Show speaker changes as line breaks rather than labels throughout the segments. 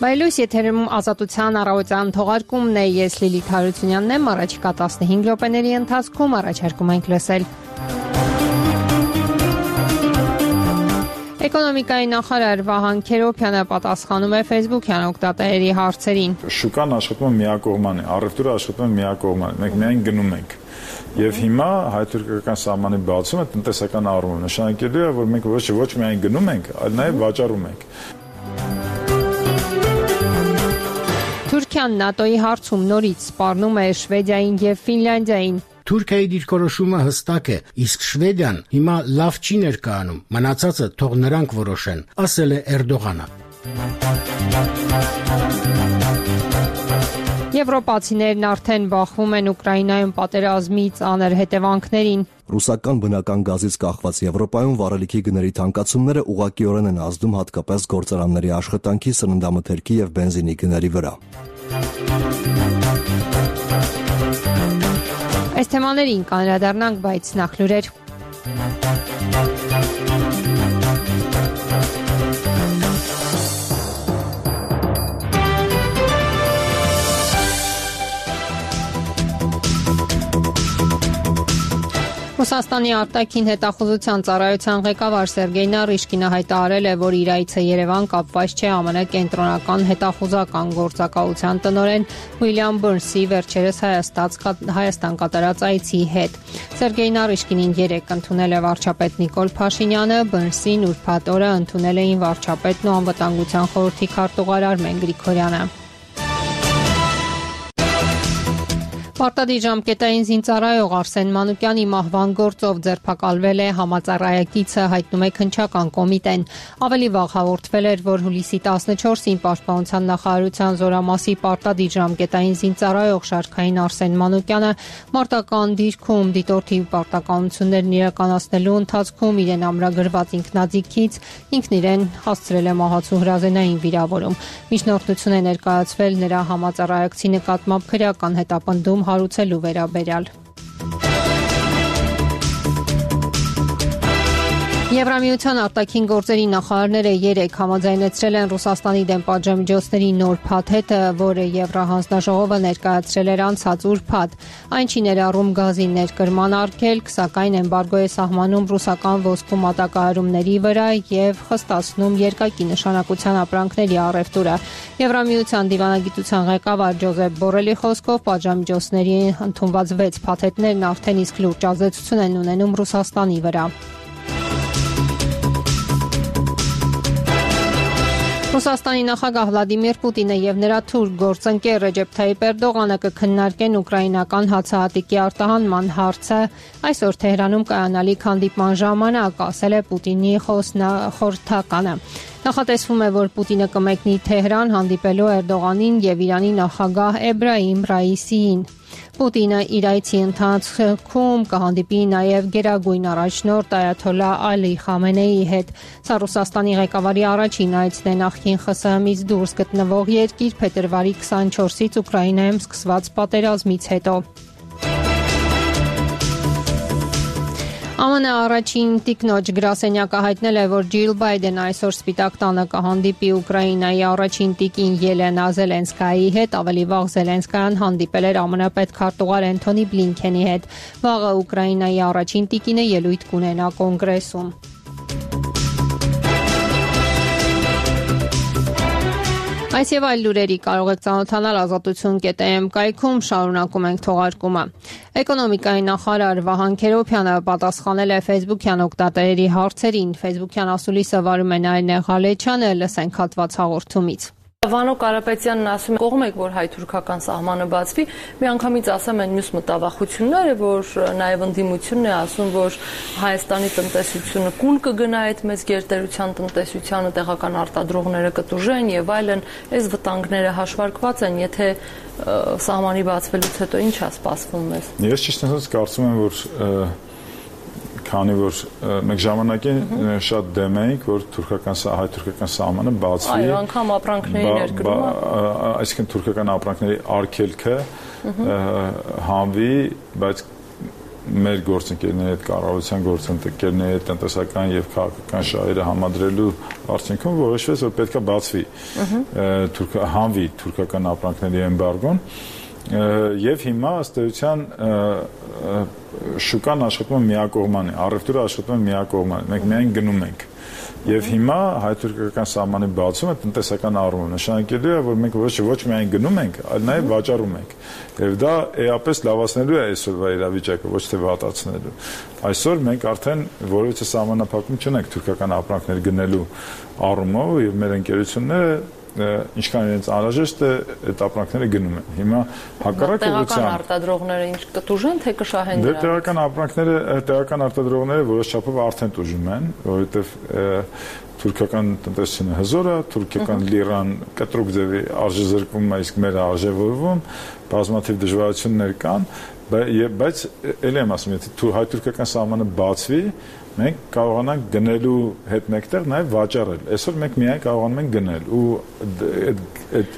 Բայլույս եթերում ազատության առավոտյան թողարկումն է, ես Լիլիթ Հարությունյանն եմ, առաջիկա 15 րոպեների ընթացքում առաջարկում ենք լսել. Էկոնոմիկայի նախարար Վահան Քերոբյանը պատասխանում է Facebook-յան օգտատերերի հարցերին.
Շուկան աշխատում է միակողմանի, առևտուրը աշխատում է միակողմանի, մենք միայն գնում ենք։ Եվ հիմա հայ-թուրքական սահմանի բացումը տնտեսական առումով նշանակելու է, որ մենք ոչ միայն գնում ենք, այլ նաև վաճառում ենք։
Թուրքիան ՆԱՏՕ-ի հարցում նորից սպառնում է Շվեդիային եւ Ֆինլանդիային։
Թուրքիայի դիրքորոշումը հստակ է, իսկ Շվեդիան հիմա լավ չի ներկայանում, մնացածը թող նրանք որոշեն, ասել է Էրդողանը։
Եվրոպացիներն արդեն բախվում են Ուկրաինայում պատերազմի ծանր հետևանքներին։
Ռուսական բնական գազից կախված Եվրոպայում վառելիքի գների թանկացումները ուղղակիորեն են ազդում հատկապես գործարանների աշխատանքի, սննդամթերքի եւ բենզինի գների վրա։
Այս թեմաներին կանրադառնանք, բայց նախ լուրեր։ Ռուսաստանի արտաքին հետախուզության ծառայության ղեկավար Սերգեյ Նարիշկինը հայտարարել է, որ իր այցը Երևան կապված չէ ԱՄՆ կենտրոնական հետախուզական գործակալության տնօրեն Ուիլյամ Բըրնսի վերջերս Հայաստան կատարած այցի հետ։ Սերգեյ Նարիշկինին երեկ ընդունել է վարչապետ Նիկոլ Փաշինյանը, Բըրնսին ուրբաթ օրը ընդունել էին վարչապետն ու անվտանգության խորհրդի քարտուղար Արմեն Գրիգորյանը։ Պարտադիր ժամկետային զինծառայող Արսեն Մանուկյանի մահվան գործով ձերբակալվել է համածառայակիցը, հայտնում է Քննչական կոմիտեն։ Ավելի վաղ հաղորդվել էր, որ հուլիսի 14-ին Պաշտպանության նախարարության զորամասի պարտադիր ժամկետային զինծառայող շարքային Արսեն Մանուկյանը մարտական դիրքում դիտորդի պարտականություններն իրականացնելու ընթացքում իրեն ամրագրված ինքնաձիգից ինքն իրեն հասցրել է մահացու հրազենային վիրավորում։ Միջնորդություն է ներկայացվել նրա համածառայակցի նկատմամբ քրեական հետապնդում հարուցելու վերաբերյալ։ Եվրամիության արտաքին գործերի նախարարները երեկ համաձայնեցրել են Ռուսաստանի դեմ պատժամիջոցների նոր փաթեթը, որը Եվրահանձնաժողովը ներկայացրել էր անցած ուրբաթ։ Այն չի ներառում գազի ներկրման արգելք, սակայն էմբարգո է սահմանում ռուսական ոսկու մատակարարումների վրա եւ խստացնում երկակի նշանակության ապրանքների առևտուրը։ Եվրամիության դիվանագիտության ղեկավար Ջոզեփ Բորելի խոսքով պատժամիջոցների ընդունված 6 փաթեթներն արդեն իսկ լուրջ ազդեցություն են ունենում Ռուսաստանի վրա։ Ռուսաստանի նախագահ Վլադիմիր Պուտինը եւ նրա թուրք գործընկեր Ռեջեփ Թայիպ Էրդողանը կքննարկեն ուկրաինական հացահատիկի արտահանման հարցը այսօր Թեհրանում կայանալիք հանդիպման ժամանակ, ասել է Պուտինի խորհրդականը։ Նախատեսվում է, որ Պուտինը կմեկնի Թեհրան հանդիպելու Էրդողանին եւ Իրանի նախագահ Էբրահիմ Ռայիսիին։ Պուտինը իր այցի ընթացքում կհանդիպի նաև գերագույն առաջնորդ Այաթոլլահ Ալի Խամենեիի հետ։ Սա Ռուսաստանի ղեկավարի առաջին այցն է նախկին ԽՍՀՄ-ից դուրս գտնվող երկիր փետրվարի 24-ից Ուկրաինայում սկսված պատերազմից հետո։ ԱՄՆ առաջին տիկնոջ գրասենյակը հայտնել է, որ Ջիլ Բայդենը այսօր Սպիտակ տանը կհանդիպի Ուկրաինայի առաջին տիկին Ելենա Զելենսկայի հետ, ավելի վաղ Զելենսկայան հանդիպել էր ԱՄՆ պետքարտուղար Էնթոնի Բլինքենի հետ։ Վաղը Ուկրաինայի առաջին տիկինը ելույթ կունենա կոնգրեսում։ Այս եւ այլ լուրերի կարող եք ծանոթանալ ազատություն.am կայքում, շարունակում ենք թողարկումը։ Էկոնոմիկայի նախարար Վահան Քերոբյանը պատասխանել է Facebook-յան օգտատերերի հարցերին։ Facebook-յան ասուլիսը վարում է Նարինե Ղալեչյանը, լսենք հատված հաղորդումից։
Վանո Կարապետյանն ասում է, կողմ եք, որ հայ-թուրքական սահմանը բացվի, միանգամից ասում են մյուս մտավախությունները, որ նաև ընդդիմությունն է ասում, որ Հայաստանի տնտեսությունը կուլ կգնա այդ մեծ գերտերության տնտեսությանը, տեղական արտադրողները կտուժեն եւ այլն, այս վտանգները հաշվարկված են, եթե սահմանի բացվելուց հետո ինչ է սպասվում մեզ։
Ես ճիշտ ասած կարծում եմ, որ քանի որ մենք ժամանակին շատ դեմ էինք, որ հայ-թուրքական սահմանը բացվի։
Այո, անգամ ապրանքների ներկրումը,
այսինքն թուրքական ապրանքների արգելքը հանվի, բայց մեր գործընկերների հետ, կառավարության գործընկերների հետ տնտեսական եւ քաղաքական շահերը համադրելու արդյունքում որոշվեց, որ պետք է բացվի հանվի թուրքական ապրանքների էմբարգոն եւ հիմա ըստ էության շուկան աշխատում է միակողմանի, առևտուրը աշխատում է միակողմանի, մենք միայն գնում ենք եւ հիմա հայ-թուրքական սահմանի բացումը տնտեսական առումով նշանակելու է, որ մենք ոչ միայն գնում ենք, այլ նաեւ վաճառում ենք եւ դա էապես լավացնելու է այսօրվա իրավիճակը, ոչ թե վատացնելու։ Այսօր մենք արդեն որևէ սահմանափակում չունենք թուրքական ապրանքներ գնելու առումով եւ մեր ընկերությունները ինչքան իրենց անհրաժեշտ է այդ ապրանքները գնում են։ Հիմա հակառակ ուղղությամբ
տեղական արտադրողները ինչ կտուժեն, թե կշահեն
դրանց։ Տեղական ապրանքները, տեղական արտադրողները որոշ չափով արդեն տուժում են, որովհետև թուրքական տնտեսությունը հզոր է, թուրքական լիրան կտրուկ ձևի արժեզրկվում է, իսկ մեր արժևորվում, բազմաթիվ դժվարություններ կան, բայց ելի եմ ասում, եթե հայ-թուրքական սահմանը բացվի, մենք կարողանանք գնելու հետ մեկտեղ նաև վաճառել։ Այսօր մենք միայն կարողանում ենք գնել ու այդ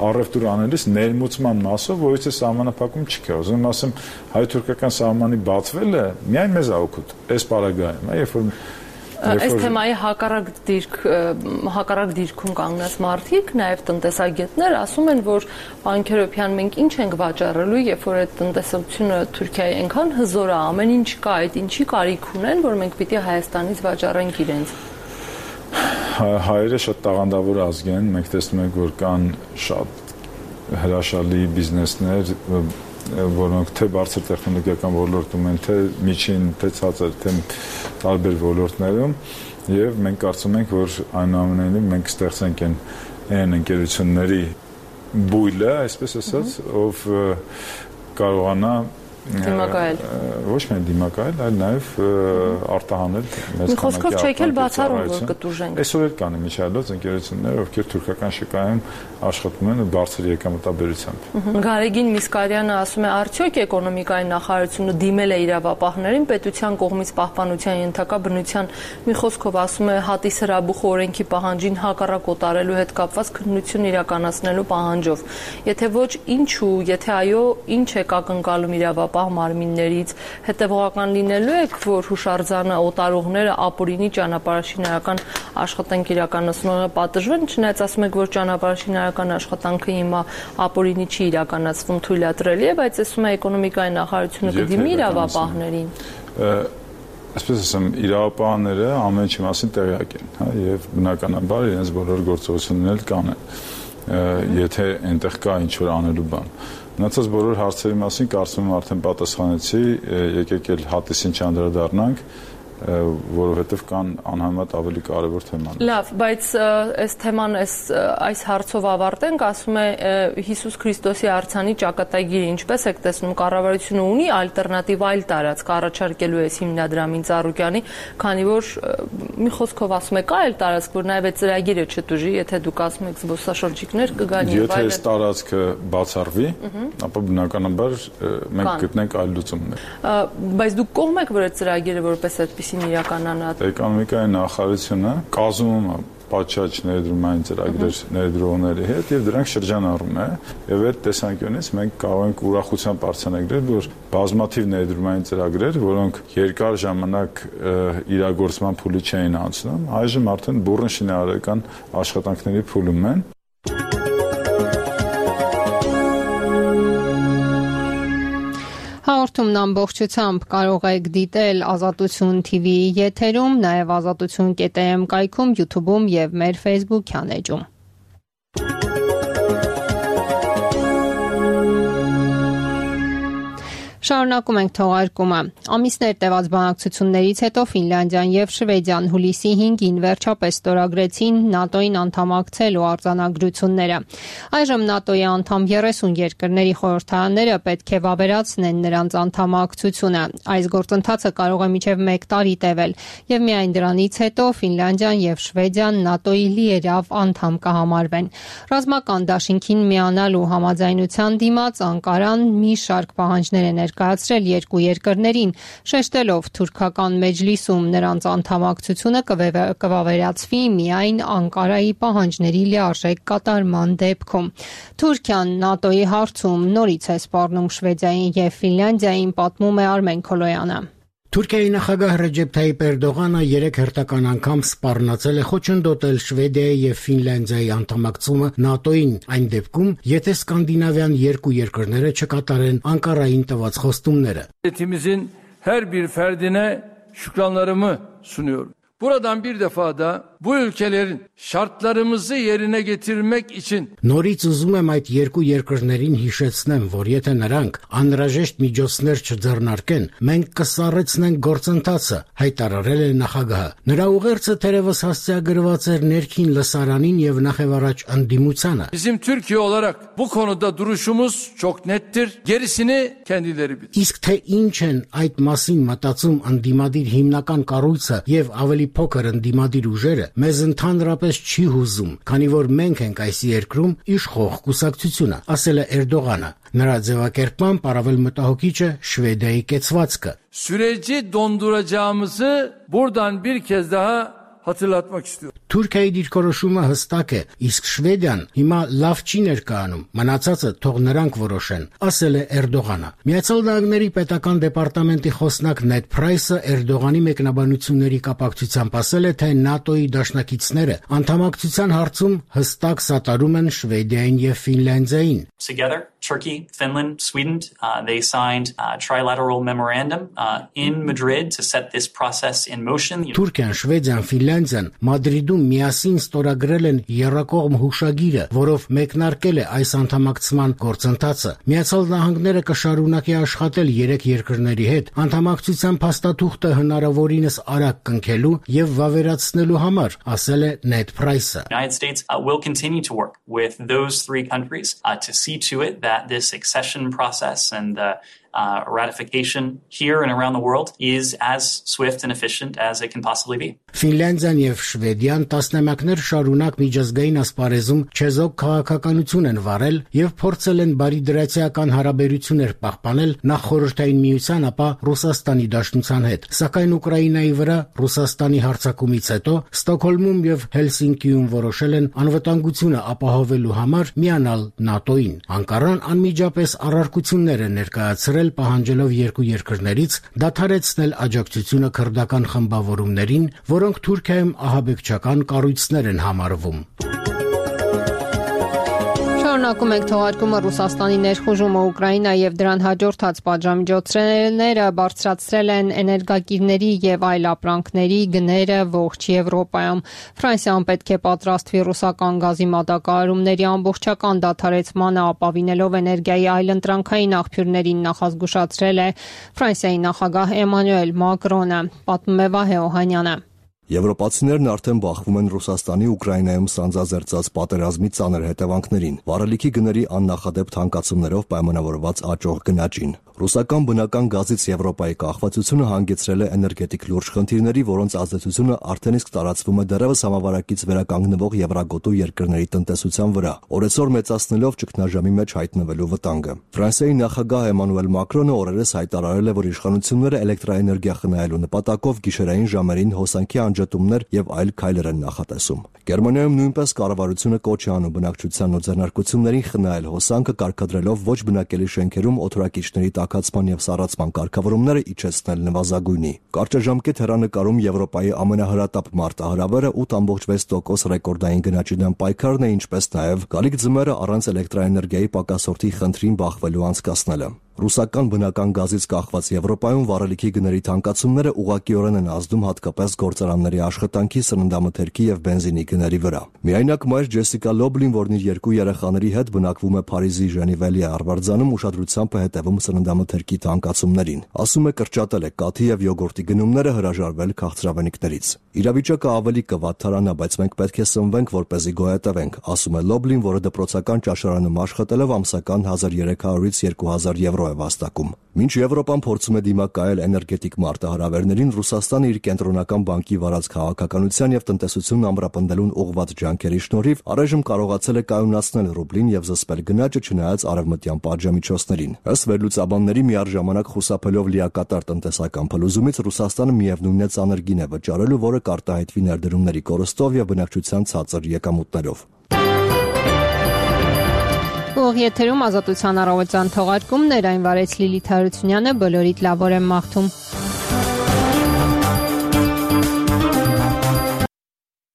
առևտուր անելիս ներմուծման մասով որից է սահմանափակում չկա։ Ուզում եմ ասեմ, հայ-թուրքական սահմանի բացվելը միայն մեզ է օգուտ։ Այս պարագայում, երբ որ
այս թեմայի հակառակ դիրքում կանգնած մարդիկ, նաև տնտեսագետներ ասում են, որ պարոն Քերոբյան, մենք ինչ ենք վաճառելու, երբ որ այդ տնտեսությունը Թուրքիայի այնքան հզոր է, ամեն ինչ կա, այդ ինչի կարիք ունեն, որ մենք պիտի Հայաստանից վաճառենք իրենց։
Հայերը շատ տաղանդավոր ազգ են, մենք տեսնում ենք, որ կան շատ հրաշալի բիզնեսներ, որոնք թե բարձր տեխնոլոգիական ոլորտում են, թե միջին, թե ցածր, թե տարբեր ոլորտներում եւ մենք կարծում ենք, որ այնուամենայնիվ մենք ստեղծենք այն ընկերությունների բույլը, այսպես ասած, ով կարողանա
դիմակայել։
Ոչ միայն դիմակայել, այլ նաև արտահանել մեծ
խոսքով չեք էլ բացառում, որ կտուժենք։
Այսօր էլ կան միջազգային ընկերություններ, ովքեր թուրքական շուկայում աշխատում են բարձր եկամտաբերությամբ։
Գարեգին Միսկարյանը ասում է, արդյոք էկոնոմիկայի նախարարությունը դիմել է իրավապահներին պետության կողմից պահպանության ենթակա բնության, մի խոսքով ասում է, հատիս հրաբուխ օրենքի պահանջին հակառակ օտարելու հետ կապված քննություն իրականացնելու պահանջով։ Եթե ոչ, ինչու, եթե այո, ինչ է ակնկալում իրավապահ մարմիններից, հետևողական լինելու եք, որ հուշարձանը օտարողները ապօրինի ճանապարհաշինարական աշխատանք իրականացնողը պատժվեն, չնայած ասում եք, որ ճանապարհաշինարական աշխատանքը հիմա ապօրինի չի իրականացվում, թույլատրելի է, բայց ասում է էկոնոմիկայի նախարարությունը կդիմի իրավապահներին։
Այսպես ասեմ, իրավապահները ամեն ինչի մասին տեղյակ են, հա, եւ բնականաբար իրենց բոլոր գործողությունները կանեն, եթե այնտեղ կա ինչ-որ անելու բան։ Մնացած բոլոր հարցերի մասին կարծում եմ արդեն պատասխանեցի, եկեք էլ հատիսին չանդրադառնանք, որովհետև կան անհամեմատ ավելի կարևոր թեմաներ։
Լավ, բայց այս թեման այս հարցով ավարտենք, ասում է Հիսուս Քրիստոսի արձանի ճակատագիրը, ինչպես եք տեսնում, կառավարությունը ունի ալտերնատիվ այլ տարածք առաջարկելու այս հիմնադրամին Ծառուկյանի, քանի որ մի խոսքով ասում եք, այլ տարածք, որ նաև այդ ծրագիրը չտուժի, եթե դուք ասում եք զբոսաշրջիկներ կգան եւ այլն։
Եթե այս տարածքը բացառվի, ապա բնականաբար մենք գտնենք այլ լուծումներ։
Բայց դուք կողմ եք, որ այդ ծրագիրը որպես այդպեսին իրականանա։
Էկոնոմիկայի նախարարությունը կազմում է պատշաճ ներդրումային ծրագրեր ներդրողների հետ եւ դրանք շրջանառում է եւ այդ տեսանկյունից մենք կարող ենք ուրախությամբ արձանագրել, որ բազմաթիվ ներդրումային ծրագրեր, որոնք երկար ժամանակ իրագործման փուլի չէին անցնում, այժմ արդեն բուռն շինարարական աշխատանքների փուլում են։
Հաղորդումն ամբողջությամբ կարող եք դիտել Ազատություն TV-ի եթերում, նաև azatutun.am կայքում, YouTube-ում եւ մեր Facebook-յան էջում։ Շարունակում ենք թողարկումը։ Ամիսներ տևած բանակցություններից հետո Ֆինլանդիան եւ Շվեդիան հուլիսի 5-ին վերջապես ստորագրեցին ՆԱՏՕ-ին անդամակցելու արձանագրությունները։ Այժմ ՆԱՏՕ-ի անդամ 30 երկրների խորհրդարանները պետք է վավերացնեն նրանց անդամակցությունը։ Այս գործընթացը կարող է մինչև 1 տարի տևել եւ միայն դրանից հետո Ֆինլանդիան եւ Շվեդիան ՆԱՏՕ-ի լիերավ անդամ կհամարվեն։ Ռազմական դաշինքին միանալու համաձայնության դիմաց Անկարան մի շարք պահանջներ է ներկայացրել երկու երկրներին, շեշտելով թուրքական մեջլիսում նրանց անդամակցությունը կվավերացվի միայն Անկարայի պահանջների լիարժեք կատարման դեպքում։ Թուրքիան ՆԱՏՕ-ի հարցում նորից է սպառնում Շվեդիային եւ Ֆինլանդիային, պատմում է Արմեն Քոլոյանը։
Թուրքիայի նախագահ Ռեջեփ Թայիպ Էրդողանը 3 հերթական անգամ սպառնացել է խոչընդոտել Շվեդիայի եւ Ֆինլանդիայի անդամակցումը ՆԱՏՕ-ին, այն դեպքում, եթե սկանդինավյան երկու երկրները չկատարեն Անկարային տված խոստումները։
Devletimizin her bir ferdine şükranlarımı sunuyorum. Buradan bir defa da bu ülkelerin şartlarımızı yerine getirmek için
Նորից ուզում եմ այդ երկու երկրներին հիշեցնեմ, որ եթե նրանք անհրաժեշտ միջոցներ չձեռնարկեն, մենք կսառեցնենք գործընթացը, հայտարարել է նախագահը։ Նրա ուղերձը թերևս հասցեագրված էր ներքին լսարանին եւ նախևառաջ ընդդիմությանը։
bizim Türkiye olarak bu konuda duruşumuz çok nettir. Gerisini kendileri bilir.
Իսկ թե ինչ են այդ մասին մտածում ընդդիմադիր հիմնական կառույցը եւ ավելի փոքր ընդդիմադիր ուժերը, մեզ ընդհանրապես չի հուզում, քանի որ մենք ենք այս երկրում իշխող կուսակցությունը, ասել է Էրդողանը։ Նրա ձևակերպմամբ առավել մտահոգիչ է Շվեդիայի կեցվածքը։
Süreci donduracağımızı buradan bir kez daha hatırlatmak istiyorum.
Թուրքիայի դիրքորոշումը հստակ է, իսկ Շվեդիան հիմա լավ չի ներկայանում, մնացածը թող նրանք որոշեն, ասել է Էրդողանը։ Միացյալ Նահանգների պետական դեպարտամենտի խոսնակ Նեդ Փրայսը Էրդողանի մեկնաբանությունների կապակցությամբ ասել է, թե ՆԱՏՕ-ի դաշնակիցները անդամակցության հարցում հստակ սատարում են Շվեդիային եւ Ֆինլանդիային։
Together, Turkey, Finland, Sweden, they signed a trilateral memorandum in Madrid to set this process in motion.
Թուրքիան, Շվեդիան, Ֆինլանդիան Մադրիդում միասին ստորագրել են եռակողմ հուշագիրը, որով մեկնարկել է այս անդամակցման գործընթացը։ Միացյալ Նահանգները կշարունակի աշխատել երեք երկրների հետ անդամակցության փաստաթուղթը հնարավորինս արագ կնքելու եւ վավերացնելու համար, ասել է Նեդ Փրայսը։
United States will continue to work with those three countries to see to it that this accession process and the ratification here and around the world is as swift and efficient as it can possibly be.
Ֆինլանդիան եւ Շվեդիան տասնամյակներ շարունակ միջազգային ասպարեզում չեզոք քաղաքականություն են վարել եւ փորձել են բարիդրացիական հարաբերություններ պահպանել նախ Խորհրդային Միության, ապա Ռուսաստանի Դաշնության հետ։ Սակայն Ուկրաինայի վրա Ռուսաստանի հարձակումից հետո Ստոկհոլմում եւ Հելսինկիում որոշել են անվտանգությունը ապահովելու համար միանալ ՆԱՏՕ-ին։ Անկարան անմիջապես առարկություններ է ներկայացրել, պահանջելով երկու երկրներից դադարեցնել աջակցությունը քրդական խմբավորումներին, որոնք Թուրքիայում ահաբեկչական կառույցներ են համարվում։
Շարունակում ենք թողարկումը Ռուսաստանի ներխուժումը Ուկրաինա եւ դրան հաջորդած պատժամիջոցները բարձրացրել են էներգակիրների եւ այլ ապրանքների գները ողջ Եվրոպայում։ Ֆրանսիան պետք է պատրաստվի ռուսական գազի մատակարարումների ամբողջական դադարեցմանը, ապավինելով էներգիայի այլընտրանքային աղբյուրներին, նախազգուշացրել է Ֆրանսիայի նախագահ Էմանուել Մակրոնը, պատմում է Վահե Օհանյանը։
Եվրոպացիներն արդեն բախվում են Ռուսաստանի Ուկրաինայում սանձազերծած պատերազմի ծանր հետևանքներին, վառելիքի գների աննախադեպ թանկացումներով պայմանավորված աճող գնաճին։ Ռուսական բնական գազից Եվրոպայի կախվածությունը հանգեցրել է էներգետիկ լուրջ խնդիրների, որոնց ազդեցությունը արդեն իսկ տարածվում է դեռևս համավարակից վերականգնվող Եվրագոտու երկրների տնտեսության վրա, օրեցօր մեծացնելով ճգնաժամի մեջ հայտնվելու վտանգը։ Ֆրանսիայի նախագահ Էմանուել Մակրոնը օրերս հայտարարել է, որ իշխանությունները էլեկտրաէներգիա խնայելու նպատակով գիշերային ժամերին հոսանքի անջատումներ եւ այլ քայլեր են նախատեսում։ Գերմանիայում նույնպես կառավարությունը կոչ է անում բնակչությանն ու ձեռնարկություններին խնայել հոսանքը, կարգադրելով ոչ բնակելի շենքերում օդորակիչների տաքացման եւ սառացման կարգավորումները իջեցնել նվազագույնի։ Կարճաժամկետ հեռանկարում Եվրոպայի ամենահրատապ մարտահրավերը 8.6% ռեկորդային գնաճի դեմ պայքարն է, ինչպես նաեւ գալիք ձմեռը առանց էլեկտրաէներգիայի պակասորթի խնդրին բախվելու անցկացնելը։ Ռուսական բնական գազից կախված Եվրոպայում վառելիքի գների թանկացումները ուղղակիորեն են ազդում հատկապես գործարանների աշխատանքի, սննդամթերքի եւ բենզինի գների վրա։ Միայնակ մայր Ջեսիկա Լոբլին, որն իր երկու երեխաների հետ բնակվում է Փարիզի Ժենիվելի Արվարձանում, ուշադրությամբ է հետևում սննդամթերքի թանկացումներին։ Ասում է, կրճատել է կաթի եւ յոգուրտի գնումները, հրաժարվել քաղցրավենիքներից։ Իրավիճակը ավելի կվատթարանա, բայց մենք պետք է սնվենք, որպեսզի գոյատևենք, ասում է Լոբլին, որը դպրոցական ճաշարանում աշխատելով ամսական 1300-ից 2000 եվրո եվրո է վաստակում։ Մինչ Եվրոպան փորձում է դիմակայել էներգետիկ մարտահրավերներին, Ռուսաստանը իր կենտրոնական բանկի վարած քաղաքականության եւ տնտեսությունն ամրապնդելուն ուղղված ջանքերի շնորհիվ առայժմ կարողացել է կայունացնել ռուբլին եւ զսպել գնաճը չնայած արևմտյան պատժամիջոցներին։ Ըստ վերլուծաբանների, միառժամանակ խուսափելով լիակատար տնտեսական փլուզումից, Ռուսաստանը միևնույն է ծանր գին է վճարելու, որը կարտահայտվի ներդրումների կորստով եւ բնակչության ցածր եկամուտներով։
Ուղիղ եթերում Ազատության առավոտյան թողարկումն էր, այն վարեց Լիլիթ Հարությունյանը, բոլորիդ լավ օր եմ մաղթում։